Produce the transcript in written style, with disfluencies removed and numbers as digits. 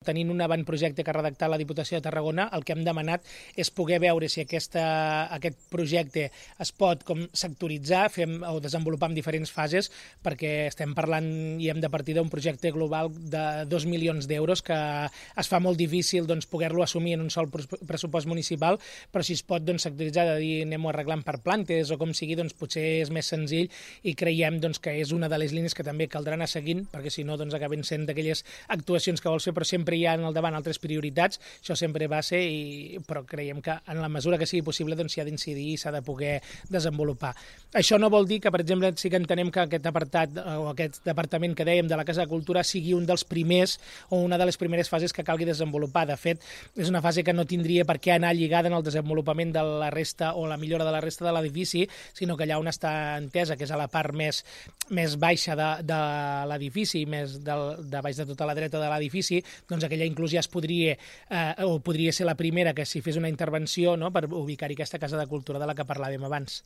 Tenint un avantprojecte que ha redactat la Diputació de Tarragona, el que hem demanat és poder veure si aquest projecte es pot com sectoritzar o desenvolupar en diferents fases, perquè estem parlant i hem de partir d'un projecte global de 2 milions d'euros que es fa molt difícil poder-lo assumir en un sol pressupost municipal, però si es pot sectoritzar, de dir anem-ho arreglant per plantes o com sigui, potser és més senzill i creiem que és una de les línies que també caldrà anar seguint, perquè si no acaben sent d'aquelles actuacions que vols fer, però sempre hi ha al davant altres prioritats, això sempre va ser, però creiem que en la mesura que sigui possible s'hi ha d'incidir i s'ha de poder desenvolupar. Això no vol dir que, per exemple, sí que entenem que aquest apartat o aquest departament que dèiem de la Casa de Cultura sigui un dels primers o una de les primeres fases que calgui desenvolupar. De fet, és una fase que no tindria per què anar lligada en el desenvolupament de la resta o la millora de la resta de l'edifici, sinó que allà on està entesa, que és a la part més baixa de l'edifici, més de baix de tota la dreta de l'edifici, aquella inclús ja es podria ser la primera que s'hi fes una intervenció, no?, per ubicar-hi aquesta Casa de Cultura de la que parlàvem abans.